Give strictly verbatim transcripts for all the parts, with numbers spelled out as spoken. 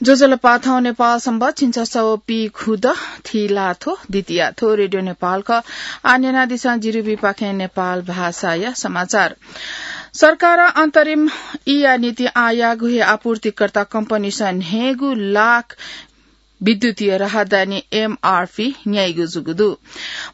ज्वजलपा, थौं नेपाल संवत् झिंछसः व पीखुदँ, थ्व ला थ्व, द्वितीया थ्व रेडियो नेपाल खः। आः न्यनादिसँ जिरिबीपाखें नेपाल भाषाया समाचार। सरकारं अन्तरिम ईया निंतिं आःयागु हे आपूर्तिकर्ता कम्पनीसं न्हय्गू लाख विद्युतीय राहदानी एमआरपी न्याइगु जूगु दु।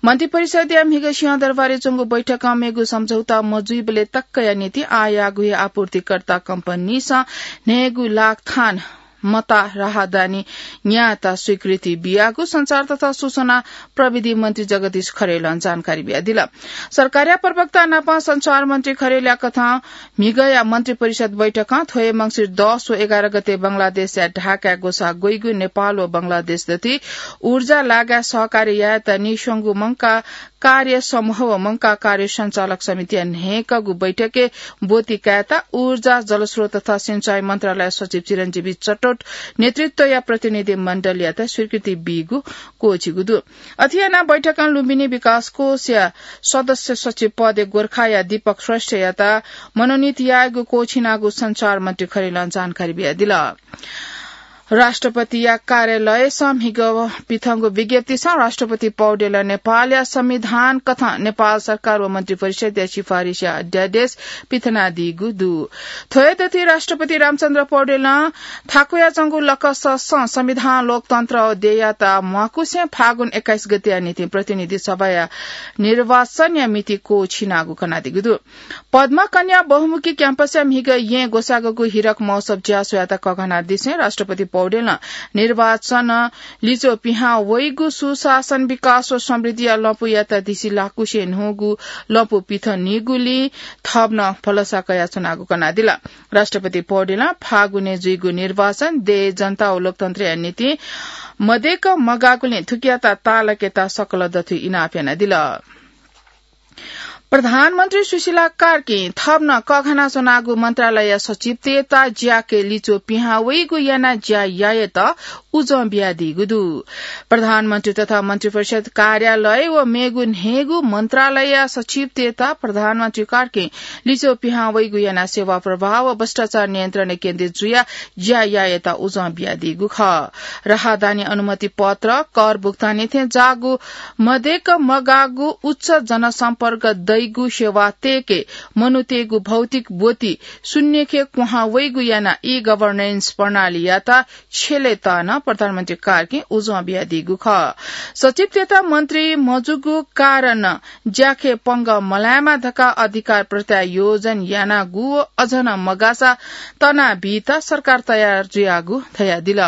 मन्त्रिपरिषदया म्हिगः सिंहदरबारय् च्वंगु बैठकं मेगु सम्झौता मजुइबलय् तकया निंतिं आःयागु हे आपूर्तिकर्ता कम्पनीसं न्हय्गू लाख थान मता राहदानी न्यायेत स्वीकृति बियागु सञ्चार तथा सूचना प्रविधि मन्त्री जगदीश खरेलं जानकारी बियादिल। सरकारया प्रवक्ता नाप सञ्चार मन्त्री खरेलया कथं म्हिगःया मन्त्रिपरिषद बैठकं थ्व हे मंसिर दस व एघार गते बंगलादेशया ढाकाय् ग्वसाः ग्वइगु नेपाल व बंगलादेश दथुइ ऊर्जा लागाय् सहकार्य यायेत नीस्वंगु मंकाः कार्य समूह व मंकाः कार्य सञ्चालक समितिया न्हय्कःगु बैठकय् ब्वति कायेत ऊर्जा, जलस्रोत तथा सिंचाई मन्त्रालय सचिव चिरञ्जीवी चटोट नेतृत्वया प्रतिनिधि मण्डलयात स्वीकृति बीगु क्वःछिगु दु। अथे यानाः बैठकं लुम्बिनी विकास कोषया सदस्य सचिव पदय् गोर्खाया दीपक श्रेष्ठयात मनोनीत यायेगु क्वःछिनागु सञ्चार मन्त्री खरेलं जानकारी बियादिल। राष्ट्रपतिया कार्यालयसं म्हिगः पिथंगु विज्ञप्तिसं राष्ट्रपति पौडेलं नेपालया संविधान कथं नेपाल सरकार व मन्त्रिपरिषदया सिफारिसया अध्यादेश पिथनादीगु दु। थ्व हे दथुइ राष्ट्रपति रामचन्द्र पौडेलं थाकुयाच्वंगु लकससं संविधान, लोकतन्त्र व देय्‌यात म्वाकुसें फागुन एक्काइस गतेया निंतिं प्रतिनिधि सभाया निर्वाचनया मिति क्वःछिनागु कनादीगु दु। पद्मकन्या बहुमुखी क्याम्पसया म्हिगः येँय् ग्वसाःगु हीरक महोत्सव ज्याझ्वःयात कःघानादिसें राष्ट्रपति पौडेलं निर्वाचन लिच्वः पिहां वइगु सुशासन, विकास व समृद्धिया लँपुयात दिसिलाकुसें न्हूगु लँपु पिथनीगुलिं थप नं भलसा कयाच्वनागु कनादिल। राष्ट्रपति पौडेलं फागुनय् जुइगु निर्वाचन देय्, जनता व लोकतन्त्रया निंतिं मदय्क मगाःगुलिं थुकियात ताःलाकेत सकल दथुइ इनाप यानादिल। प्रधानमन्त्री सुशीला कार्कीं थप नं कःघानाच्वनागु मन्त्रालयया सचिवतय्त ज्याखँय् लिच्वः पिहां वइगु यानाः ज्या यायेत उजं बियादीगु दु। प्रधानमन्त्री तथा मन्त्रिपरिषद कार्यालय व मेगु न्हय्गू मन्त्रालयया सचिवतय्त प्रधानमन्त्री कार्कीं लिच्वः पिहां वइगु यानाः सेवा प्रवाह व भ्रष्टाचार नियन्त्रणय् केन्द्रित जुयाः ज्या यायेत उजं बियादीगु खः। राहदानी अनुमति पत्र, कर भुक्तानी थें जाःगु मदय्क मगाःगु उच्च जनसम्पर्क दइगु सेवा तय्के मनूतय्गु भौतिक ब्वति शून्यखे क्वहां वइगु यानाः ई गभर्नेन्स प्रणालीयात छ्यलेत नं प्रधानमन्त्री कार्कीं उजं बियादीगु खः। सचिवतय्त मन्त्री मजूगु कारणं ज्याखँय् पंगः मलायेमा धकाः अधिकार प्रत्यायोजन यानागु व अझ नं मगाःसा तनाबीत सरकार तयार जुयागु धयादिल।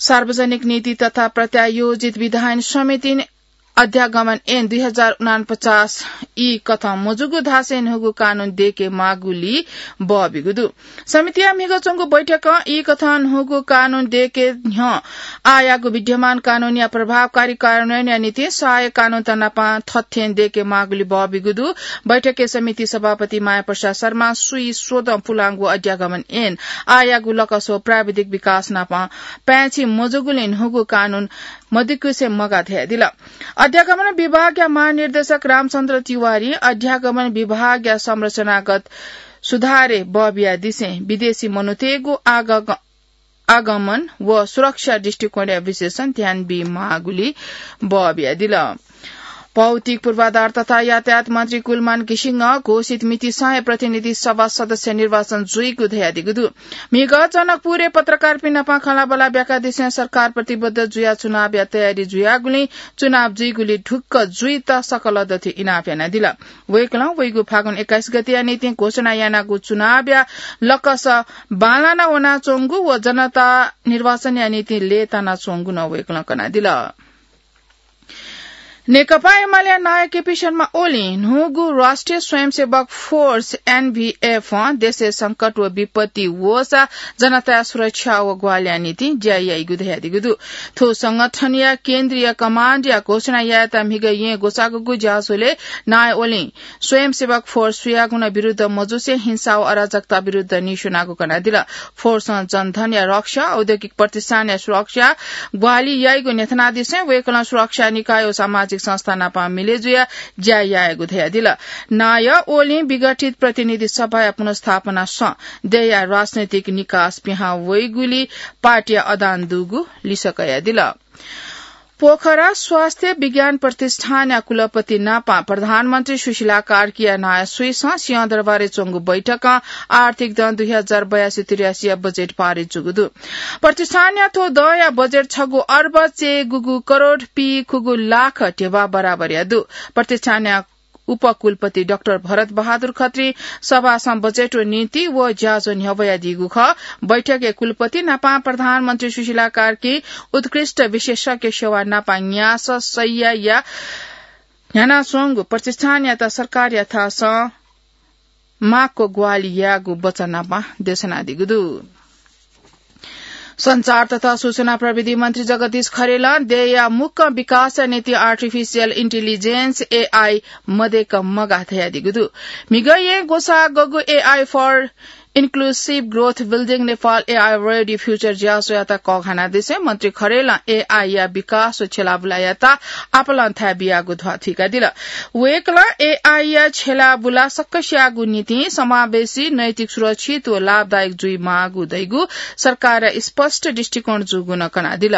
सार्वजनिक नीति तथा प्रत्यायोजित विधायन समितिं अध्यागमन ऐन दुई हजार उनापचास ई कथं मजूगु धासें न्हूगु कानून दय्के माःगुलिइ बः बीगु दु। समितिया म्हिगः च्वंगु बैठकं ई कथं न्हूगु कानून दय्के न्ह्यः आःयागु विद्यमान कानूनया प्रभावकारी कार्यान्वयनया निंतिं सहायक कानूनत नाप थथें दय्के माःगुलिइ बः बीगु दु। बैठकय् समिति सभापति माया प्रसाद शर्मां स्वीस्वदँ पुलांगु अध्यागमन ऐन आःयागु लकस व प्राविधिक विकास नाप पाय्छि मजूगुलिं न्हूगु कानून मदय्कुसे मगाः धयादिल। अध्यागमन विभागया महानिर्देशक रामचन्द्र तिवारीं अध्यागमन विभागया संरचनागत सुधारय् बः बियादिसें विदेशी मनूतय्गु आग-, आगमन व सुरक्षा दृष्टिकोणया विशेषं ध्यान बीमाःगुलिइ बः बियादिल। भौतिक पूर्वाधार तथा यातायात मन्त्री कुलमान घिसिङं घोषित मितिसं हे प्रतिनिधि सभा सदस्य निर्वाचन जुइगु धयादीगु दु। म्हिगः जनकपुरय् पत्रकारपिं नाप खँल्हाबल्हा ब्याकादिसें सरकार प्रतिबद्ध जुयाः चुनावया तयारी जुयागुलिं चुनाव जुइगुलिइ ढुक्क जुइत सकल दथुइ इनाप यानादिल। वय्कलं वइगु फागुन एक्काइस गतेया निंतिं घोषणा यानागु चुनावया लकस बांलाना वनाच्वंगु व जनता निर्वाचनया निंतिं लय्तानाच्वंगु नं वय्कलं कनादिल। नेकपा एमालेया नायः केपी शर्मा ओलीं न्हूगु राष्ट्रिय स्वयंसेवक फोर्स, एनभिएफं देशय् संकट व विपत्ति वःसा जनताया सुरक्षा व ग्वाहालिया निंतिं ज्या याइगु धयादीगु दु। थ्व संगठनया केन्द्रीय कमाण्डया घोषणा यायेत म्हिगः येँय् ग्वसाःगु ज्याझ्वलय् नायः ओलीं स्वयंसेवक फोर्स सुयागुं नं विरुद्ध मजुसें हिंसा व अराजकता विरुद्ध नीस्वनागु कनादिल। फोर्सं जनधनया रक्षा, औद्योगिक प्रतिष्ठानया सुरक्षा, ग्वाहालि याइगु न्ह्यथनादिसें वय्कलं सुरक्षा निकाय व सामाजिक संस्था नापं मिले जुया ज्या यायेगु धयादिल। नायः ओलीं विघटित प्रतिनिधि सभाया पुनर्स्थापना सँ देया राजनैतिक निकास पिहां वइगुली पार्टीया अडान दुगु लिसः कयादिल। पोखरा स्वास्थ्य विज्ञान प्रतिष्ठानया कुलपति नापं प्रधानमन्त्री सुशीला कार्कीया नायः स्वइसं सिंहदरबारय् च्वंगु बैठकं आर्थिक दँ दुई हजार बयासी त्रियासीया बजेट पारित जूगु दु। प्रतिष्ठानया थ्व दँया बजेट छगू अर्ब चय्‌गुगु करोड पीखुगु लाख ध्यबा बराबरया दु। प्रतिष्ठानया उपकुलपति डाक्टर भरत बहादुर खत्री सभासं बजेट व नीति व ज्याझ्वः न्ह्यब्वयादीगु खः। बैठकय् कुलपति नापं प्रधानमन्त्री सुशीला कार्की उत्कृष्ट विशेषज्ञ सेवा नापं न्यासः शय्याया न्ह्यानाच्वंगु प्रतिष्ठानयात सरकारयाथासं माक्व ग्वाहालि यायेगु वचन नापं देछानादीगु दु। सञ्चार तथा सूचना प्रविधि मन्त्री जगदीश खरेलं देय्‌या मुक्कं विकासया निंतिं artificial intelligence, AI, मदय्‌क मगाः धयादीगु दु। म्हिगः येँ ग्वसाः गःगु AI for Inclusive Growth Building Nepal, AI Ready Future ज्याझ्वःयात कःघानादिसें मन्त्री खरेलं AI या विकास व छ्यलाबुलायात आपालं थाय् बियागु ध्वाथुइकादिल। वय्‌कलं AI या छ्यलाबुला सकसियागु निंतिं समावेशी, नैतिक, सुरक्षित व लाभदायक जुइमाःगु धइगु सरकारया स्पष्ट दृष्टिकोण जूगु नं कनादिल।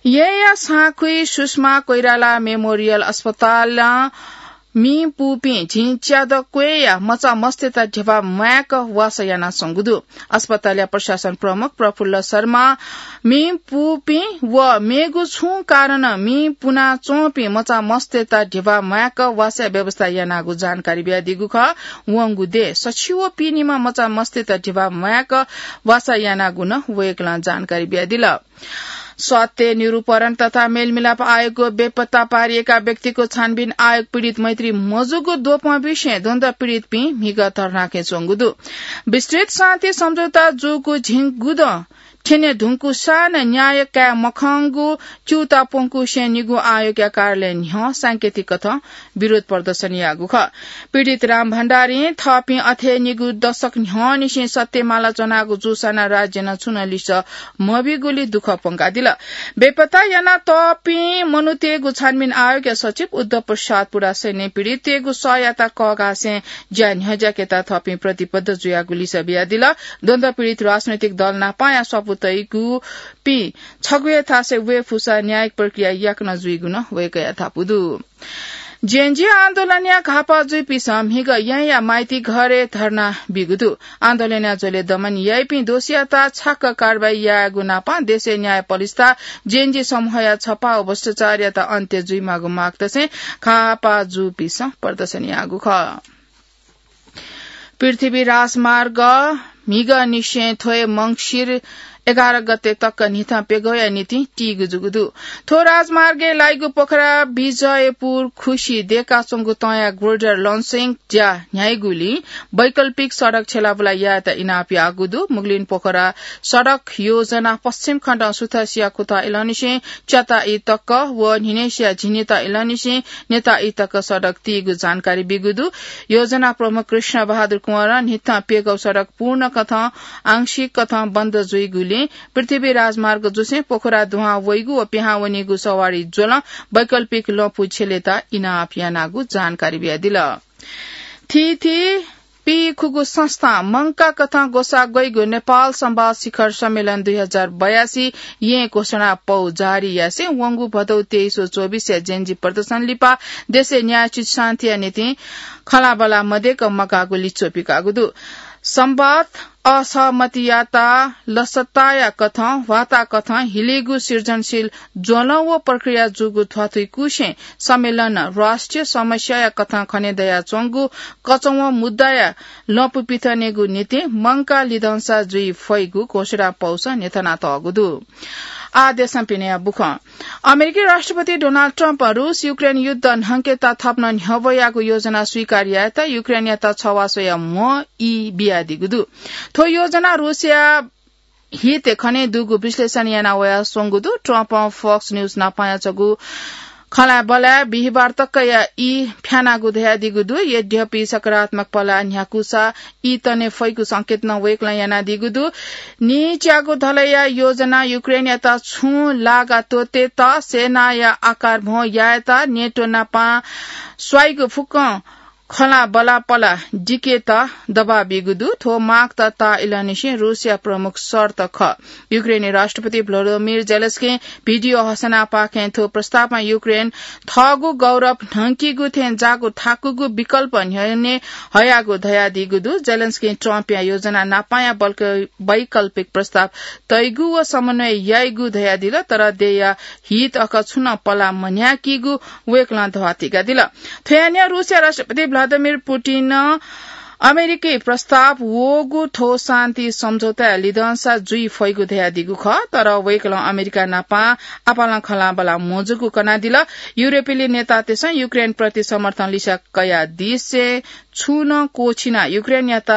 येँया साँखुइ सुषमा कोइराला मेमोरियल अस्पतालं मिं पूपिं झिंच्यादँ क्वय्‌या मचा मस्तय्‌त ध्यबा म्वायेक वासः यानाच्वंगु दु। अस्पतालया प्रशासन प्रमुख प्रफुल्ल शर्मां मिं पूपिं व मेगु छुं कारणं मिं पुनाच्वंपिं मचा मस्तय्‌त ध्यबा म्वायेक वासःया व्यवस्था यानागु जानकारी बियादीगु खः। वंगु देय् सछि व पीनिम्ह मचा मस्तय्‌त ध्यबा म्वायेक वासः यानागु नं वय्‌कलं जानकारी बियादिल। सत्य निरूपण तथा मेलमिलाप आयोगको बेपत्ता पारिएका व्यक्तिको छानबिन आयोग पीडित मैत्री मजूगु द्वपं विषयं द्वन्द्व पीडितपिं म्हिगः धर्नाकय् च्वंगु दु। विस्तृत शान्ति सम्झौता जूगु झिंगुदँ थ्यने धुंकूसां नं न्याय काये मखंगु च्यूता प्वंकुसें निगू आयोगया कार्यालय न्ह्यः सांकेतिक कथं विरोध प्रदर्शन याःगु खः। पीडित राम भण्डारीं थःपिं अथे निगू दशक न्ह्यःनिसें सत्यमाला च्वनागु जूसां नं राज्यं छुं नं लिसः मबीगुली दुःख प्वंकादिल। बेपत्ता यानातःपिं मनूतय्‌गु छानबिन आयोगया सचिव उद्धव प्रसाद पुरासेनं पीडिततय्‌गु सःयात कःघासें ज्या न्ह्यज्याकेत थःपिं प्रतिबद्ध जुयागु लिसः बियादिल। द्वन्द्व पीडित राजनैतिक दल नापंया स्वापू तइगुपिं छगू हे थासय् वये फुसा न्यायिक प्रक्रिया याकनं जुइगु नं वय्‌कःया धापू दु। जेएनजी आन्दोलनया घाःपाः जूपिन्सं म्हिगः येँया माइतीघरय् धर्ना बीगु दु। आन्दोलनया झ्वलय् दमन याइपिं दोषीयात छाक्क कारवाही यायेगु नापं देशय् न्यायपालिस्था जेएनजी समूहया छपा व भ्रष्टाचारयात अन्त्य जुइमाःगु माग दसें घाःपाः जूपिन्सं प्रदर्शन याःगु खः। पृथ्वी राजमार्ग म्हिगःनिसें थ्व हे मंसिर एघार गते तक न्हिथं प्यघौया निंतिं तीगु जूगु दु। थ्व राजमार्गय् लाइगु पोखरा विजयपुर खुसि दय्‌काच्वंगु तंया ग्रेडर लन्सिङ ज्या न्ह्याइगुलिं वैकल्पिक सडक छ्यलाबुला यायेत इनाप याःगु दु। मुगलिन पोखरा सडक योजना पश्चिम खण्डं सुथसिया खुथं इलंनिसें च्याताई तक व न्हिनय्‌सिया झिंनिता इलंनिसें न्यताई तक सडक तीगु जानकारी बीगु दु। योजना प्रमुख कृष्ण बहादुर कुँवरं न्हिथं प्यघौ सडक पूर्ण कथं आंशिक कथं बन्द जुइगुलिं पृथ्वी राजमार्ग जुसें पोखरा दुहां वइगु व पिहां वनीगु सवारी ज्वलं वैकल्पिक लँपु छ्यलेत इनाप यानागु जानकारी बियादिल। थीथी पीखुगू संस्थां मंकाः कथं ग्वसाः ग्वइगु नेपाल संवाद शिखर सम्मेलन दुई हजार बयासी येँ घोषणा पौ जारी यासें वंगु भदौ तेइस व चौबिसया जेएनजी प्रदर्शन लिपा देशय् न्यायोचित शान्तिया निंतिं खँल्हाबल्हा मदय्‌क मगाःगु लिच्वः पिकाःगु दु। संवाद असहमतियात लसताया कथं, ह्वाता कथं हिलीगु सृजनशील ज्वलं व प्रक्रिया जूगु ध्वाथुइकुसें सम्मेलनं राष्ट्रिय समस्याया कथं खने दयाच्वंगु कचंवं मुद्दाया लँपु पिथनेगु निंतिं मंकाः लिधंसा जुइ फइगु घोषणा पौसं न्ह्यथनातःगु दु। आः देशं पिनेया बुखँ। अमेरिकी राष्ट्रपति डोनाल्ड ट्रम्पं रूस युक्रेन युद्ध न्हंकेत थप नं न्ह्यब्वयागु योजना स्वीकार यायेत युक्रेनयात छवाः स्वयाः म्ह ई बियादीगु दु। थ्व योजना रूसया हित खने दुगु विश्लेषण याना वयाच्वंगु दु। ट्रम्पं Fox News नापंया छगू खँल्हाबल्हाय् बिहिबार तकया ई फ्यानागु धयादीगु दु। यद्यपि सकारात्मक पलाः न्ह्याकूसा ई तने फइगु संकेत नं वय्कलं यानादीगु दु। नीच्यागु धलया योजना युक्रेनयात छुं लागा त्वःतेत, सेनाया आकार भ्वं यायेत, नेटो नापं स्वाइगु फुक्कं खँल्हाबल्हाय् पलाः दिकेत दबाब बीगु दु। थ्व माग त ताःइलंनिसें रूसया प्रमुख शर्त खः। युक्रेनी राष्ट्रपति भ्लोदिमिर जेलेन्स्कीं भिडियो हसनापाखें थ्व प्रस्तावमा युक्रेन थःगु गौरव न्हंकीगु थें जाःगु थाकुगु विकल्प न्ह्यःने हयागु धयादीगु दु। जेलेन्स्कीं ट्रम्पया योजना नापंया बल्क-, वैकल्पिक प्रस्ताव तइगु व समन्वय याइगु धयादिल, तर देय्या हित अखः छुं नं पलाः मन्ह्याकीगु वय्कलं धवाथुइकादिल। थ्वयां न्ह्यः रूसया राष्ट्रपति भ्लादिमिर पुतिनं अमेरिकी प्रस्ताव वःगु थ्व शान्ति सम्झौताय् लिधंसा जुइ फइगु धयादीगु खः, तर वय्कलं अमेरिका नापं आपालं खँल्हाबल्हाः मजूगु कनादिल। युरोपेली नेतातय्सं युक्रेनप्रति समर्थन लिसे कयादिसें छुं नं क्वःछिनाः युक्रेनयात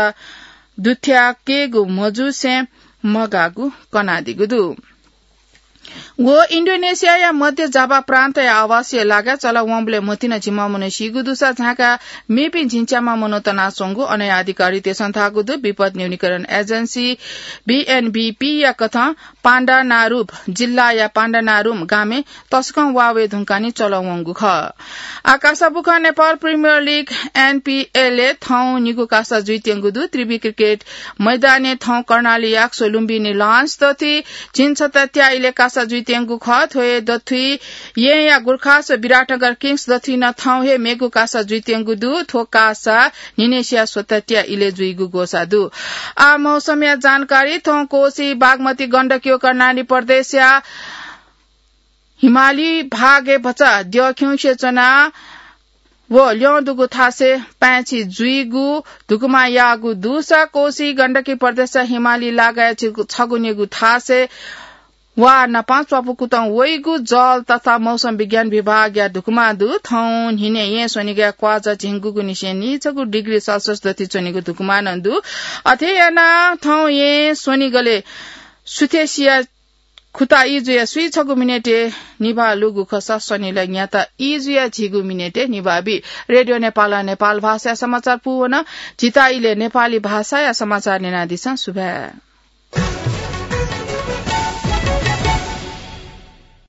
दुथ्याकेगु मजूसें मगाःगु कनादीगु दु। व इन्डोनेसियाया मध्य जाभा प्रान्तया आवासीय लागाय् चलः वंबलय् मतिना झिम्मा मनू सीगु दुसा झांकाः मेपिं झिंच्याम्ह मनू तनाच्वंगु अनया अधिकारीतय्सं धाःगु दु। विपद न्यूनीकरण एजेन्सी, बीएनबीपीया कथं पाण्डानारुभ जिल्लाया पाण्डानारुम गामय् तसकं वा वये धुंकाः नं चलः वंगु खः। आः कासा बुखँ। नेपाल प्रिमियर लिग, एनपीएलय् थौं निगू कासा जुइत्यंगु दु। त्रिवि क्रिकेट मैदानय् थौं कर्णाली याक्स व लुम्बिनी लायन्स दथुइ झिंछता त्याः इलय् कासा जुइत्यंगु खः। थ्व हे दथुइ येँया गोर्खास व विराटनगर किङ्स दथुइ नं थौं हे मेगु कासा जुइत्यंगु दु। थ्व कासा न्हिनय्सिया स्वता त्याः इलय् जुइगु ग्वसाः दु। आः मौसमया जानकारी। थौं कोसी, बागमती, गण्डकी व कर्णाली प्रदेशया हिमाली भागय् भचा द्यःखिउँसे च्वना व ल्यं दुगु थासय् पाय्छि जुइगु धुकुमा याःगु दुसा कोसी, गण्डकी प्रदेशया हिमाली लागाय् छिगु-, छगू निगू थासय् वा नापं च्वापु कुतं वइगु जल तथा मौसम विज्ञान विभागया धुकुमा दु। थौं न्हिनय् येँ स्वनिगय् क्वाःझः झिंगुगु निसें नीछगू डिग्री सेल्सियस दथुइ च्वनीगु धुकुमा नं दु। अथे यानाः थौं येँ स्वनिगलय् सुथसिया खुता ई जुयाः स्वीछगू मिनेटय् निभाः लूगु खःसा स्वनिलय् न्याता ई जुयाः झिगू मिनेटय् निभाः बी। रेडियो नेपालं नेपाल भाषाया समाचार पूवन। झीत इलय् नेपाली भाषाया समाचार न्यनादिसँ। सुभाय्।